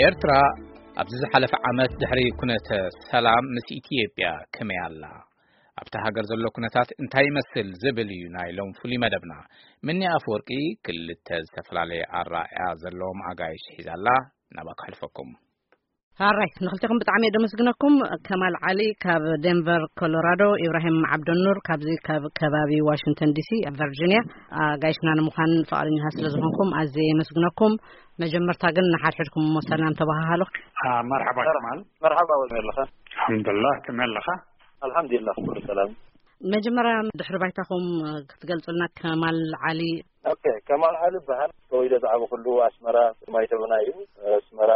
ኤርትራ ኣብዚ ዝሓለፈ ዓመት ድሕሪ ኩነተ ሰላም ምስ ኢትዮጵያ ከመይ ኣላ? ኣብታ ሃገር ዘሎ ኩነታት እንታይ ይመስል ዝብል እዩ ናይ ሎም ፍሉይ መደብና። ምኒ ኣፈወርቂ ክልተ ዝተፈላለየ ኣራእያ ዘለዎም ኣጋይሽ ሒዛላ፣ ናባ ክሕልፈኩም። ሃራይ ንክልተኹም ብጣዕሚ እየ ደመስግነኩም። ከማል ዓሊ ካብ ዴንቨር ኮሎራዶ፣ ኢብራሂም ዓብደኑር ካብዚ ካብ ከባቢ ዋሽንግተን ዲሲ ቨርጂኒያ፣ ኣጋይሽና ንምዃን ፈቓደኛታት ስለ ዝኾንኩም ኣዝየ የመስግነኩም። መጀመርታ ግን ንሓድሕድኩም እሞ ሰላም ተባሃሃሉ። መርሓባ ከማል። መርሓባ፣ ከመይ ኣለኻ? ኣልሓምዱላ፣ ከመይ ኣለኻ? ኣልሓምዱላ፣ ኩሉ ሰላም። መጀመርያ ድሕሪ ባይታኹም ክትገልጹልና ከማል ዓሊ። ኦኬ፣ ከማል ዓሊ ይበሃል። ተወልደ ዝዓበኹሉ ኣስመራ ማይተብና እዩ። ኣስመራ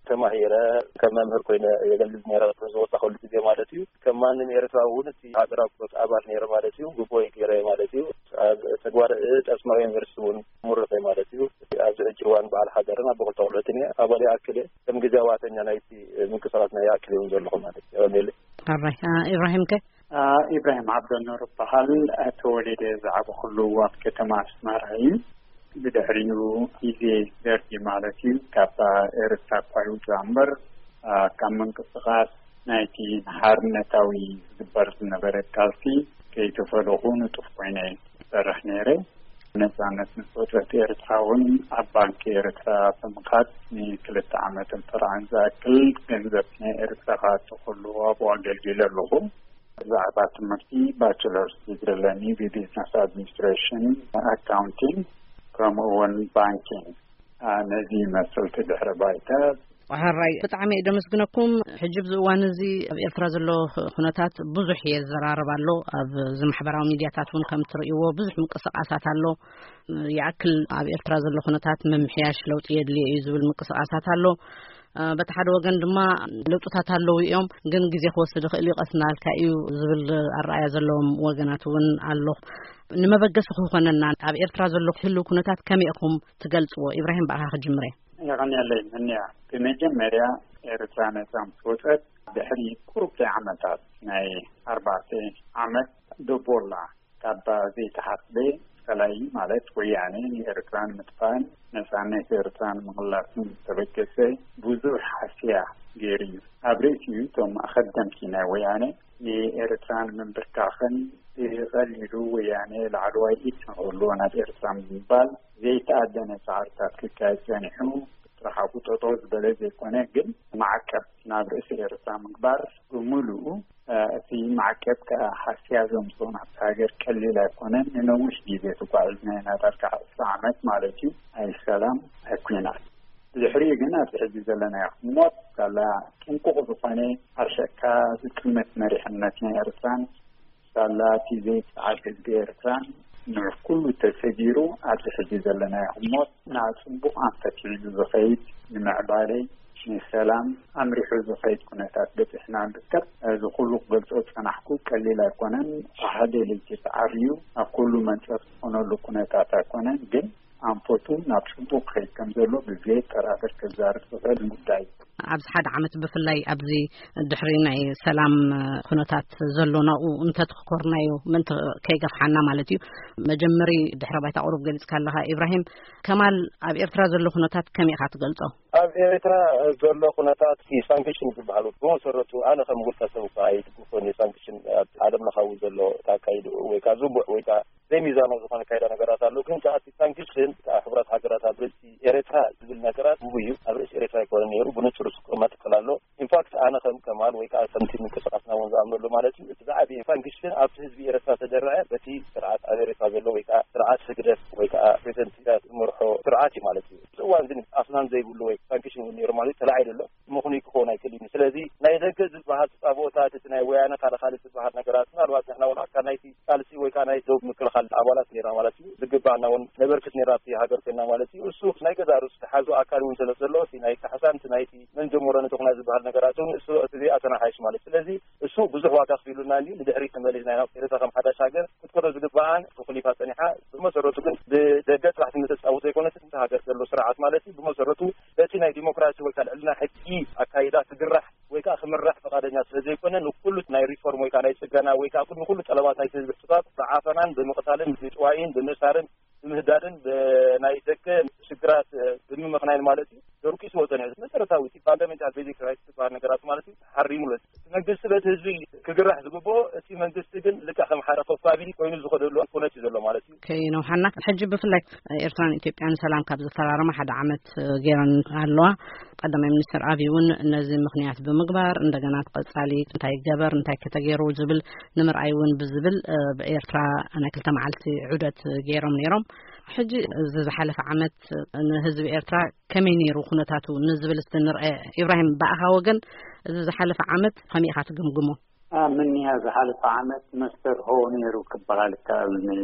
ተማሂረ ከም መምህር ኮይነ የገልግል ነይረ፣ ዝወጣኹሉ ግዜ ማለት እዩ። ከም ማንም ኤርትራዊ እውን እቲ ሃገራዊ ኮት ኣባል ነይረ ማለት እዩ። ግቦይ ገይረ ማለት እዩ። ኣብ ተግባር ጠስማዊ ዩኒቨርሲቲ እውን ምሩቕ እየ ማለት እዩ። ኣብዚ ሕጂ እዋን በዓል ሓዳርን ኣቦ ክልተ ቆልዑትን እየ። ኣባል ይኣክል እየ። ከም ግዜ ዋተኛ ናይቲ ምንቅስቃስ ናይ ይኣክል እውን ዘለኹ ማለት እዩ። የቐንየለይ። ኣራይ፣ አ፣ ኢብራሂም ከ? አ፣ ኢብራሂም ዓብደኑር እበሃል። ተወሊደ ዝዓበኹሉ ኣብ ከተማ ኣስመራ እዩ። ብድሕሪኡ ግዜ ደርጊ ማለት እዩ፣ ካብ ኤርትራ እኳ ይውፃእ እምበር፣ አ፣ ካብ ምንቅስቃስ ናይቲ ንሓርነታዊ ዝግበር ዝነበረ ቃልሲ ከይተፈለኹ ንጡፍ ኮይነ ይሰርሕ ነይረ። ነፃነት ምስ ወፀት ኤርትራ እውን ኣብ ባንኪ ኤርትራ ብምኻድ ንክልተ ዓመትን ጥርዓን ዝኣክል ገንዘብ ናይ ኤርትራ ክኣቱ ከሎ ኣብኡ ኣገልጊለ ኣለኹ። ብዛዕባ ትምህርቲ ባችለርስ ዲግሪ ኣለኒ ብቢዝነስ ኣድሚኒስትሬሽን፣ ኣካውንቲንግ፣ ከምኡ እውን ባንኪንግ። አ፣ ነዚ ይመስል እቲ ድሕረ ባይታ። ሕራይ ብጣዕሚ እየ ደመስግነኩም። ሕጂ ኣብዚ እዋን እዚ ኣብ ኤርትራ ዘሎ ኩነታት ብዙሕ እየ ዝዘራረብ ኣሎ። ኣብ እዚ ማሕበራዊ ሚድያታት እውን ከም እትርእይዎ ብዙሕ ምንቅስቃሳት ኣሎ። ይኣክል ኣብ ኤርትራ ዘሎ ኩነታት ምምሕያሽ ለውጢ የድልዮ እዩ ዝብል ምንቅስቃሳት ኣሎ። አ፣ በቲ ሓደ ወገን ድማ ለውጥታት ኣለዉ እዮም፣ ግን ግዜ ክወስድ ይኽእል እዩ፣ ቀስ እናበልካ እዩ ዝብል ኣረኣያ ዘለዎም ወገናት እውን ኣሎ። ንመበገሲ ክኾነና ኣብ ኤርትራ ዘሎ ህልው ኩነታት ከመይ ኢኹም ትገልጽዎ? ኢብራሂም፣ ብኣኻ ክጅምር እየ። የቐንየለይ ምንያ። ብመጀመርያ ኤርትራ ነጻ ምስ ወጸት ድሕሪ ቁሩብ ዓመታት ናይ ኣርባዕተ ዓመት ደቦላ ካብ ዘይተሓስበ ጸላኢ ማለት ወያነ ንኤርትራ ንምጥፋእን ነጻነት ኤርትራ ንምቕላስን ዝተበገሰ ብዙሕ ሃስያ ገይሩ እዩ። ኣብ ርእሲኡ እቶም ኣኸደምቲ ናይ ወያነ ንኤርትራ ንምንብርካኽን ብቐሊሉ ወያነ ላዕለዋይ ኢድ ንክህልዎ ናብ ኤርትራ ንምባል ዘይተኣደነ ጻዕርታት ክካየድ ጸኒሑ። ጥራሕ ኣብኡ ጠጠው ዝበለ ዘይኮነ ግን ማዕቀብ ናብ ርእሲ ኤርትራ ምግባር ብምሉኡ፣ እ፣ እቲ ማዕቀብ ከኣ ሃስያ ዘምጽኦ ናብቲ ሃገር ቀሊል ኣይኮነን። ንነዊሕ ግዜ ተጓዒዝና ኢና፣ ዳርጋ ዕስራ ዓመት ማለት እዩ። ኣይ ሰላም ኣይ ኲናት። ብድሕሪኡ ግን ኣብዚ ሕጂ ዘለናዮ ህሞት ሳላ ጥንቁቕ ዝኾነ ኣርሸካ ዝጥምት መሪሕነት ናይ ኤርትራን ሳላ እቲ ዘይጸዓድ ህዝቢ ኤርትራን ንዕ ኩሉ ተሰጊሩ ኣብዚ ሕጂ ዘለናዮ ህሞት ናብ ጽቡቕ ኣንፈት ሒዙ ዝኸይድ ንምዕባለ ንሰላም ኣምሪሑ ዝኸይድ ኩነታት በጺሕና ንርከብ። እዚ ኩሉ ክገልጾ ዝጸናሕኩ ቀሊል ኣይኮነን። ሓደ ለይቲ ተዓርዩ ኣብ ኩሉ መንጸፍ ዝኾነሉ ኩነታት ኣይኮነን፣ ግን ኣንፈቱ ናብ ጽቡቕ ክኸይድ ከም ዘሎ ብዘየጠራጥር ክዛረብ ዝኽእል ጉዳይ እዩ። ኣብዚ ሓደ ዓመት ብፍላይ ኣብዚ ድሕሪ ናይ ሰላም ኩነታት ዘሎ ናብኡ እንተትኮርናዮ ምእንቲ ከይገፍሓና ማለት እዩ። መጀመሪ ድሕረ ባይታ ቁሩብ ገሊጽካ ኣለኻ ኢብራሂም። ከማል፣ ኣብ ኤርትራ ዘሎ ኩነታት ከመይ ኢኻ ትገልጾ? ኣብ ኤርትራ ዘሎ ኩነታት እቲ ሳንክሽን ዝበሃል ብመሰረቱ ኣነ ከም ውልቀ ሰብ እኳ ኣይድግፎን እዩ። ሳንክሽን ኣብ ዓለም ለኻዊ ዘሎ ኣካይድኡ ወይ ከዓ ዝቡዕ ወይ ከዓ ዘይሚዛናዊ ዝኾነ ኣካይዳ ነገራት ኣሎ። ግን ከኣ እቲ ሳንክሽን ከኣ ሕቡራት ሃገራት ኣብ ርእሲ ኤርትራ ዝብል ነገራት ግጉይ እዩ። ኣብ ርእሲ ኤርትራ ኣይኮነን ነይሩ፣ ብንጹር ዝቅመጥ ክል ኣሎ። ኢንፋክት ኣነ ከም ከማል ወይ ከኣ ከምቲ ምንቅስቃስና እውን ዝኣምነሉ ማለት እዩ፣ እቲ ዝዓበየ ሳንክሽን ኣብቲ ህዝቢ ኤርትራ ተደረዐ በቲ ስርዓት ኣብ ኤርትራ ዘሎ ወይ ከኣ ስርዓት ህግደፍ ወይ ከኣ ፕሬዚደንት ኢሳያስ ዝመርሖ ስርዓት እዩ ማለት እዩ። እዚ እዋን ግን ኣስናን ዘይብሉ ወይ ሳንክሽን እውን ነይሩ ማለት እዩ፣ ተላዒሉ ኣሎ። ምኽኑይ ክኸውን ኣይክእልን እዩ። ስለዚ ናይ ደገ ዝበሃል ተጻብኦታት፣ እቲ ናይ ወያነ ካልእ ካልእ ዝበሃል ነገራት፣ ምናልባት ንሕና እውን ኣካል ናይቲ ቃልሲ ወይ ከዓ ናይ ዶብ ምክልኻል ኣባላት ነይርና ማለት እዩ። ዝግባኣና እውን ነበርክት ነይርና ኣብቲ ሃገር ኮይንና ማለት እዩ። እሱ ናይ ገዛእ ርእሱ ዝሓዞ ኣካል እውን ስለ ዘሎ፣ እቲ ናይ ካሕሳን እቲ ናይቲ መን ጀመሮ ነቲ ኩናት ዝበሃል ነገራት እውን እሱ እቲ ዘይኣተናሓይሽ ማለት። ስለዚ እሱ ብዙሕ ዋጋ ከፊሉና እንድዩ። ንድሕሪት ተመሊስና ኢና ኤርትራ ከም ሓዳሽ ሃገር ክትከዶ ዝግባኣን ተኾሊፋ ጸኒሓ። ብመሰረቱ ግን ብደገ ጥራሕ ትምተጻወት ዘይኮነትን፣ እታ ሃገር ዘሎ ስርዓት ማለት እዩ። ብመሰረቱ በቲ ናይ ዲሞክራሲ ወይ ከዓ ልዕልና ሕጊ ኣካይዳ ክግራሕ ወይ ከዓ ክምራሕ ፈቃደኛ ስለ ዘይኮነ፣ ንኩሉ ናይ ሪፎርም ወይ ከዓ ናይ ጽገና ወይ ከዓ ንኩሉ ጠለባት ናይቲ ህዝቢ ሕቶታት ብዓፈናን ብምቕታልን ብጥዋይን ብምእሳርን ብምህዳድን ብናይ ደገ ሽግራት ብምምኽናይን ማለት እዩ። ደርቂሱ ክወፀ ንዕዘብ። መሰረታዊ እቲ ፋንዳሜንታል ቤዚክ ራይትስ ዝበሃል ነገራት ማለት እዩ ተሓሪሙ ኣሎ። እቲ መንግስቲ በቲ ህዝቢ ክግራሕ ዝግብኦ፣ እቲ መንግስቲ ግን ልክዕ ከም ሓደ ኮፋቢሊ ኮይኑ ዝኸደሉ ኩነት እዩ ዘሎ ማለት እዩ። ከይነውሓና፣ ሕጂ ብፍላይ ኤርትራን ኢትዮጵያን ሰላም ካብ ዝፈራረማ ሓደ ዓመት ገይረን ኣለዋ። ቀዳማይ ሚኒስትር ኣብይ እውን ነዚ ምኽንያት ብምግባር እንደገና ቀጻሊ እንታይ ይገበር፣ እንታይ ከተገይሩ ዝብል ንምርኣይ እውን ብዝብል፣ እ፣ ብኤርትራ ናይ ክልተ መዓልቲ ዑደት ገይሮም ነይሮም። ሕጂ እዚ ዝሓለፈ ዓመት ንህዝቢ ኤርትራ ከመይ ነይሩ ኩነታቱ ንዝብል እስቲ ንርአ። ኢብራሂም፣ ብኣኻ ወገን እዚ ዝሓለፈ ዓመት ከመይ ኢኻ ትግምግሞ? ምን እያ ዝሓለፈ ዓመት መስተርሆ ነይሩ ክበሃል ይከኣል።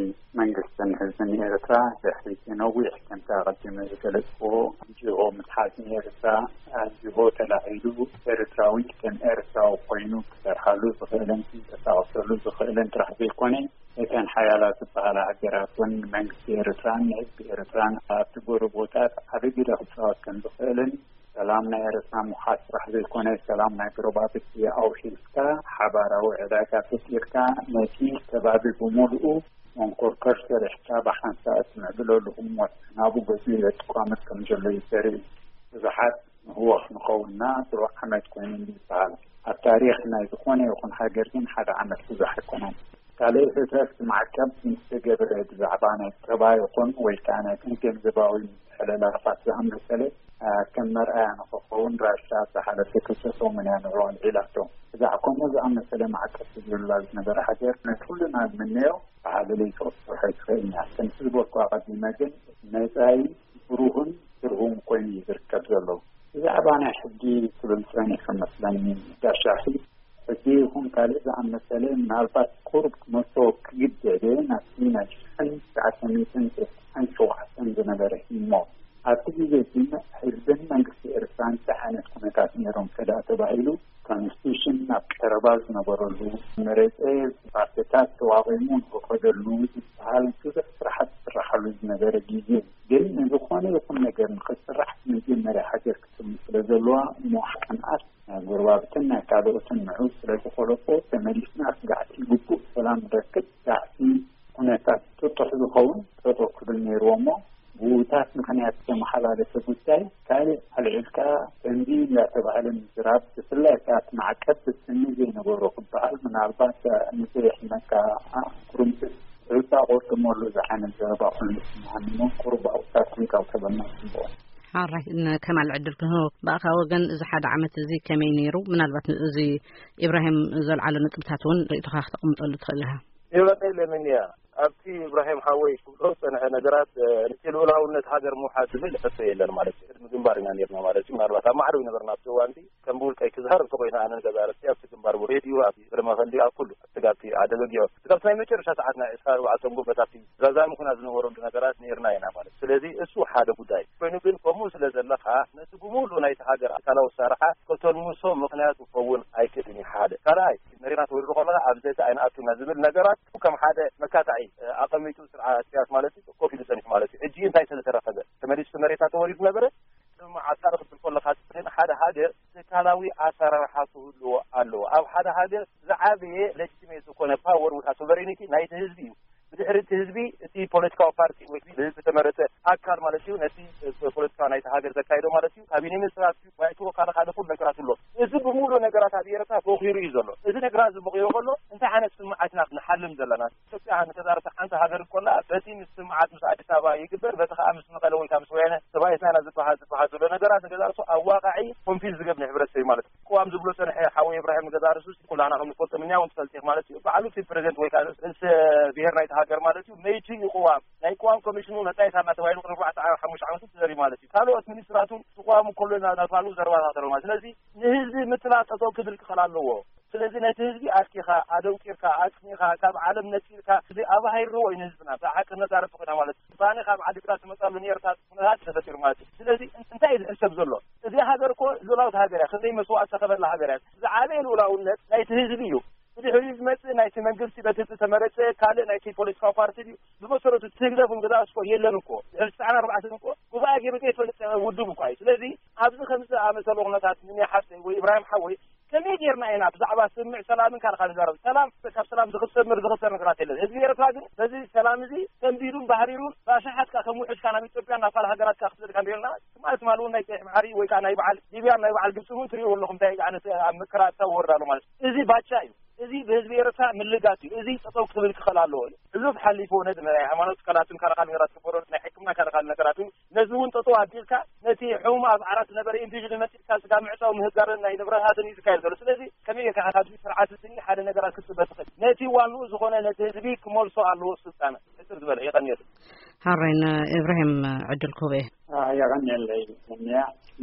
ንመንግስትን ህዝብን ኤርትራ ድሕሪ እቲ ነዊሕ ከምቲ ኣቐዲመ ዝገለጽክዎ ጅሆ ምትሓዝ ንኤርትራ ጅሆ ተላዒሉ ኤርትራዊ ከም ኤርትራዊ ኮይኑ ክሰርሓሉ ዝኽእልን ክንቀሳቐሰሉ ዝኽእልን ጥራሕ ዘይኮነ እተን ሓያላት ዝበሃላ ሃገራት እውን ንመንግስቲ ኤርትራን ንህዝቢ ኤርትራን ኣብቲ ጎረቦታት ዓቢ ግደ ክጻወት ከም ዝኽእልን ሰላም ናይ ኤርትራ ምውሓስ ጥራሕ ዘይኮነ ሰላም ናይ ጎረባብቲ ኣውሒስካ ሓባራዊ ዕዳጋ ፈጢርካ ነቲ ከባቢ ብምሉኡ መንኮርኮር ሰሪሕካ ብሓንሳእ እትምዕብለሉ ህሞት ናብኡ ገጺኡ የጥቋምት ከም ዘሎ እዩ ዘርኢ። ብዙሓት ንህወኽ ንኸውንና ድሮ ዓመት ኮይኑ እዩ ዝበሃል። ኣብ ታሪኽ ናይ ዝኾነ ይኹን ሃገር ግን ሓደ ዓመት ብዙሕ ኣይኮነን። ካልእ ህተት ማዕቀብ ምስ ተገብረ ብዛዕባ ናይ ጸባ ይኹን ወይ ከኣ ናይ ገንዘባዊ ምትሕልላፋት ዝኣመሰለ፣ አ፣ ከም መርኣያ ንኽኸውን ራሻ ዝሓለፈ ክልተ ሰሙን እያ ንዕኡ ኣልዒላቶ። ብዛዕባ ከምኡ ዝኣመሰለ ማዕቀብ ተገይሩላ ዝነበረ ሃገር ነቲ ኩልና ዝምነዮ ብሓለለይ ክትሰርሖ ኣይትኽእልን እያ። ከምቲ ዝበልኩ ኣቐዲመ ግን መጻኢ ብሩህን ብርሁን ኮይኑ እዩ ዝርከብ ዘሎ። ብዛዕባ ናይ ሕጊ ክብል ጸኒሑ መስለኒ ጋሻኺ ሕጂ ይኹን ካልእ ዝኣመሰለ ምናልባት ቁሩብ ክመልሶ ክግደደ ናብቲ ናይ ሽሕን ትሽዓተ ሚእትን ተስዓን ሸውዓተን ዝነበረ ህሞት ኣብቲ ግዜ ግን ህዝብን መንግስቲ ኤርትራ እንታይ ዓይነት ኩነታት ነይሮም ከዳ ተባሂሉ ኮንስቲቱሽን ኣብ ቀረባ ዝነበረሉ መረፀ ፓርቲታት ተዋቒሙ ንክኸደሉ ዝበሃል ብዙሕ ስራሓት ዝስራሓሉ ዝነበረ ግዜ ግን ንዝኾነ ይኹን ነገር ንክስራሕ መጀመርያ ሃገር ክትም ስለ ዘለዋ እሞ ቅንኣት ናይ ጎረባብትን ናይ ካልኦትን ንዑ ስለ ዝኾለፎ ተመሊስና ስጋዕቲ ግቡእ ሰላም ንረክብ ስጋዕቲ ኩነታት ጥጡሕ ዝኸውን ጠጠው ክብል ነይርዎ እሞ ብውታት ምኽንያት ዝተመሓላለፈ ጉዳይ ካልእ ኣልዒልካ ከምዚ እንዳተባህለ ምዝራብ ብፍላይ ከኣ እቲ ማዕቀብ ፍጽሚ ዘይነበሮ ክበሃል ምናልባት ንዘየሕመካ ኩርምትስ ሩታ ቆርጥመሉ ዝዓይነት ዘረባ ኮይኑ ስምዓኒ እሞ ቁሩብ ኣብታት ክንቀልቀለና ጽቡቕ። ሓራይ ከማል ዕድል ክንህቦ ብኣኻ ወገን እዚ ሓደ ዓመት እዚ ከመይ ነይሩ? ምናልባት እዚ ኢብራሂም ዘልዓሎ ነጥብታት እውን ርእቶኻ ክተቕምጠሉ ትኽእል ኢኻ። ይበቀይ ለምንያ ኣብቲ ኢብራሂም ሓወይ ክብሎ ዝጸንሐ ነገራት እቲ ልኡላውነት ሃገር ምውሓድ ዝብል ሕቶ የለን ማለት እዩ። ቅድሚ ግንባር ኢና ነርና ማለት እዩ። ምናልባት ኣብ ማዕዶ ይነበርና ኣብቲ እዋንቲ ከም ብውልቀይ ክዝሃር እንተኮይና ኣነ ንገዛ ርስቲ ኣብቲ ግንባር ብሬድዩ ኣብ ብረመኸሊ ኣብ ኩሉ ስጋብቲ ዓደበጊዖ ስጋብቲ ናይ መጨረሻ ሰዓት ናይ ዕስራ ኣርባዕተ ጎበታት እዩ ዛዛሚ ኩና ዝነበረሉ ነገራት ነርና ኢና ማለት። ስለዚ እሱ ሓደ ጉዳይ ኮይኑ ግን ከምኡ ስለ ዘለካ ነቲ ብምሉእ ናይቲ ሃገር ኣካላዊ ኣሰራርሓ ከተልምሶ ምኽንያት ክኸውን ኣይክእልን እዩ። ሓደ ካልኣይ መሬትና ተወሪሩ ከለካ ኣብዚ እቲ ኣይንኣቱና ዝብል ነገራት ከም ሓደ መካታዒ ኣቐሚጡ ስርዓት ኢሳያስ ማለት እዩ ኮፍ ኢሉ ጸኒሑ ማለት እዩ። ሕጂ እንታይ ስለ ተረኸበ ተመሊሱ መሬታ ተወሪሩ ነበረ ስምምዓት ክብል ከለካ ግን ሓደ ሃገር ትካላዊ ኣሰራርሓ ክህልዎ ኣለዎ። ኣብ ሓደ ሃገር ዝዓበየ ለጅትሜት ዝኾነ ፓወር ወይ ከዓ ሶቨሬኒቲ ናይቲ ህዝቢ እዩ። ብድሕሪ እቲ ህዝቢ እቲ ፖለቲካዊ ፓርቲ ወይ ብህዝቢ ተመረፀ ኣካል ማለት እዩ ነቲ ፖለቲካ ናይቲ ሃገር ዘካይዶ ማለት እዩ። ካቢኔ ሚኒስትራት ባይቶ ካልእ ካልእ ኩሉ ነገራት ኣሎ። እዚ ብምሉእ ነገራት ኣብ ኤርትራ ቦኺሩ እዩ ዘሎ። እዚ ነገራት እዚ ቦኺሩ ከሎ እንታይ ዓይነት ስምዓት ኢና ንሓልም ዘለና? ኢትዮጵያ ንተዛርተ ሓንቲ ሃገር እኮላ በቲ ምስ ስምዓት ምስ ኣዲስ ኣበባ ይግበር በቲ ከዓ ምስ መቐለ ወይ ከዓ ምስ ወያነ ተባሂትና ኢና ዝበሃል ዝበሃል ዘሎ ነገራት ንገዛ ርሱ ኣብ ዋቃዒ ኮንፊዝ ዝገብር ንሕብረተሰብ እዩ ማለት እዩ። ቅዋም ዝብሎ ፀንሐ ሓወይ ኢብራሂም ንገዛ ርሱ ኩላና ከም ንፈልጦ ምንያውን ትፈልጥ ኢኽ ማለት እዩ። ባዕሉ እቲ ፕሬዚደንት ወይ ከዓ ርእሰ ብሔር ናይቲ ሃገር ማለት እዩ መይቲ እዩ ቅዋም ናይ ቅዋም ኮሚሽኑ መጣየት ኣና ተባሂሉ ቅድሚ ኣርባዕተ ሓሙሽተ ዓመት ተዘሪ ማለት እዩ። ካልኦት ሚኒስትራቱ ቅዋሙ ከሎ እናተባሉ ዘረባታት ኣለዎ ማለት ስለዚ ንህዝቢ ምትላል ጠጠው ክብል ክኽእል ኣለዎ። ስለዚ ነቲ ህዝቢ ኣርኪኻ ኣደንቂርካ ኣጽኒኻ ካብ ዓለም ነጺልካ እዚ ኣባሂርዎ እዩ ንህዝብና ብሓቂ ነዛረብ ኮይና ማለት እዩ። ባኒ ካብ ዓዲ ግራት ዝመጻሉ ኔርታት ኩነታት ተፈጢሩ ማለት እዩ። ስለዚ እንታይ እዩ ዝሕሰብ ዘሎ? እዚ ሃገር እኮ ልኡላዊት ሃገር እያ። ክንደይ መስዋእቲ ዝተኸፈላ ሃገር እያ። ዝዓበየ ልኡላውነት ናይቲ ህዝቢ እዩ። ብድሕሪኡ ዝመጽእ ናይቲ መንግስቲ በቲ ዝተመረጸ ካልእ ናይቲ ፖለቲካዊ ፓርቲ ድዩ? ብመሰረቱ እቲ ህግደፍ እውን ገዛ ስኮ የለን እኮ ድሕሪ ትስዓን ኣርባዕተን እኮ ጉባኤ ገይሩ ዘይፈልጥ ውድብ እኳ እዩ። ስለዚ ኣብዚ ከምዚ ዝኣመሰሉ ኩነታት ንኔ ሓፍተይ ወይ ኢብራሂም ሓወይ ከመይ ጌርና ኢና ብዛዕባ ስምምዕ ሰላምን ካልካ ንዛረብ? ሰላም ካብ ሰላም ዝኽሰምር ዝኽሰር ነገራት የለን። ህዝቢ ኤርትራ ግን በዚ ሰላም እዚ ሰንቢዱን ባህሪሩን ብኣሽሓት ከኣ ከም ውሑድ ከኣ ናብ ኢትዮጵያ ናብ ካልእ ሃገራት ከኣ ክትዘልካ ንሪኦ ኣለና። ትማሊ እውን ናይ ቀይሕ ባሕሪ ወይ ከዓ ናይ በዓል ሊብያ ናይ በዓል ግብፂ እውን ትሪእዎ ኣለኹም እንታይ ዓይነት ኣብ መከራ ኣታወርዳ ኣሎ ማለት እዩ። እዚ ባቻ እዩ። እዚ ብህዝቢ ኤርትራ ምልጋስ እዩ። እዚ ጠጠው ክብል ክኸል ኣለዎ። ሕሉፍ ሓሊፉ ነዚ ናይ ሃይማኖት ትካላትን ካልእ ካልእ ነገራት ክበሮ ናይ ሕክምና ካልእ ካልእ ነገራት እውን ነዚ እውን ጠጠው ኣቢልካ ነቲ ሕሙም ኣብ ዓራት ዝነበረ ኢንዲቪድ መፂእካ ስጋ ምዕፃው ምህጋርን ናይ ንብረታትን እዩ ዝካየድ ዘሎ። ስለዚ ከመይ ጌርካ ኢኻ ካብዚ ስርዓት እዚ ሓደ ነገራት ክትፅበ ትኽእል? ነቲ ዋንኡ ዝኾነ ነቲ ህዝቢ ክመልሶ ኣለዎ ስልጣን። ሕፅር ዝበለ የቐንየሉ። ሃረይን ኢብራሂም ዕድል ክህቦ እየ። የቐንየለይ። እንያ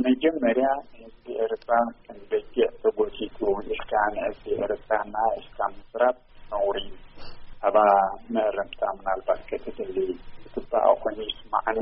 መጀመርያ ህዝቢ ኤርትራ ከም በጊዕ ተጎቲቱ ኢልካ ንህዝቢ ኤርትራ ናኢስካ ምዝራብ ነውሪ እዩ። ኣባ መእረምታ ምናልባት ከተድሊ ዝግባኣ ኮይኑ ይስማዓኒ።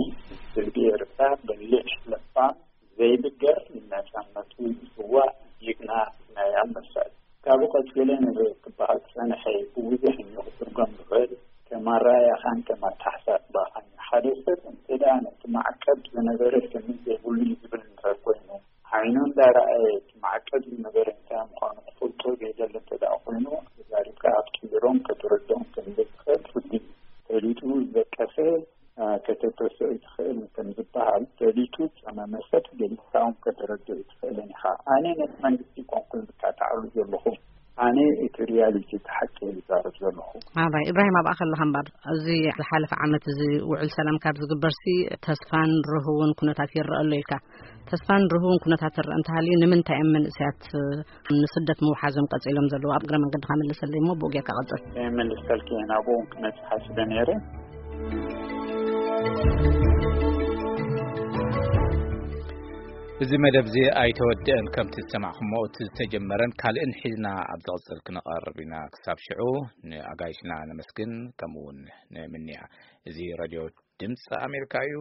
ህዝቢ ኤርትራ በሊሕ ለባም ዘይብገር ንነጻነቱ ዝስዋእ ጅግና ናይ ኣንበሳ እዩ። ካብኡ ቀጺለ ነዚ ክበሃል ዝጸንሐ ብብዙሕ እሞ ክትርጎም ዝኽእል ከም ኣረኣእያኻን ከም ኣተሓሳስባኻን እዩ። ሓደ ሰብ እንተ ደኣ ነቲ ማዕቀብ ዝነበረ ስኒ ዘይብሉ እዩ ዝብል እንተ ኮይኑ ዓይኑ እንዳረኣየ እቲ ማዕቀብ ዝነበረ እንታይ ምዃኑ ክፈልጦ ዘይደሊ እንተ ደኣ ኮይኑ ተዛሪብካ ኣትቂሮም ከተረድኦም ከም ዘይትኽእል ፍርዲ እዩ። ፈሊጡ ዝደቀሰ ከተበሰ ይትኽእል ከም ዝበሃል ፈሊጡ ዝፀመመ ሰብ ገሊፅካ እውን ከተረድኦ ይትኽእልን ኢኻ። ኣነ ነቲ መንግስቲ ኮንኩ ዝካታዓሉ ዘለኹ ኣነ እቲ ሪያሊቲ እቲ ሓቂ ዝዛረብ ዘለኹ። ኣባይ ኢብራሂም ኣብኣ ከለኻ እምበር እዚ ዝሓለፈ ዓመት እዚ ውዕል ሰላም ካብ ዝግበርሲ ተስፋን ርህውን ኩነታት ይረአ ኣሎ ኢልካ ተስፋን ርህውን ኩነታት ትረአ እንተሃልዩ ንምንታይ እዮም መንእሰያት ንስደት ምውሓዞም ቀፂሎም ዘለዉ ኣብ እግረ መንገድካ መልሰለይ እሞ ብኡ ጌርካ ቀፅል። መልሰልኪ ናብኡ ክነፅሓ ስለ ነይረ። እዚ መደብ እዚ ኣይተወደአን ከምቲ ዝሰማዕኩሞ እቲ ዝተጀመረን ካልእን ሒዝና ኣብ ዝቕፅል ክንቐርብ ኢና። ክሳብ ሽዑ ንኣጋይሽና ነመስግን ከምኡ እውን ንምንያ። እዚ ሬድዮ ድምፂ ኣሜሪካ እዩ።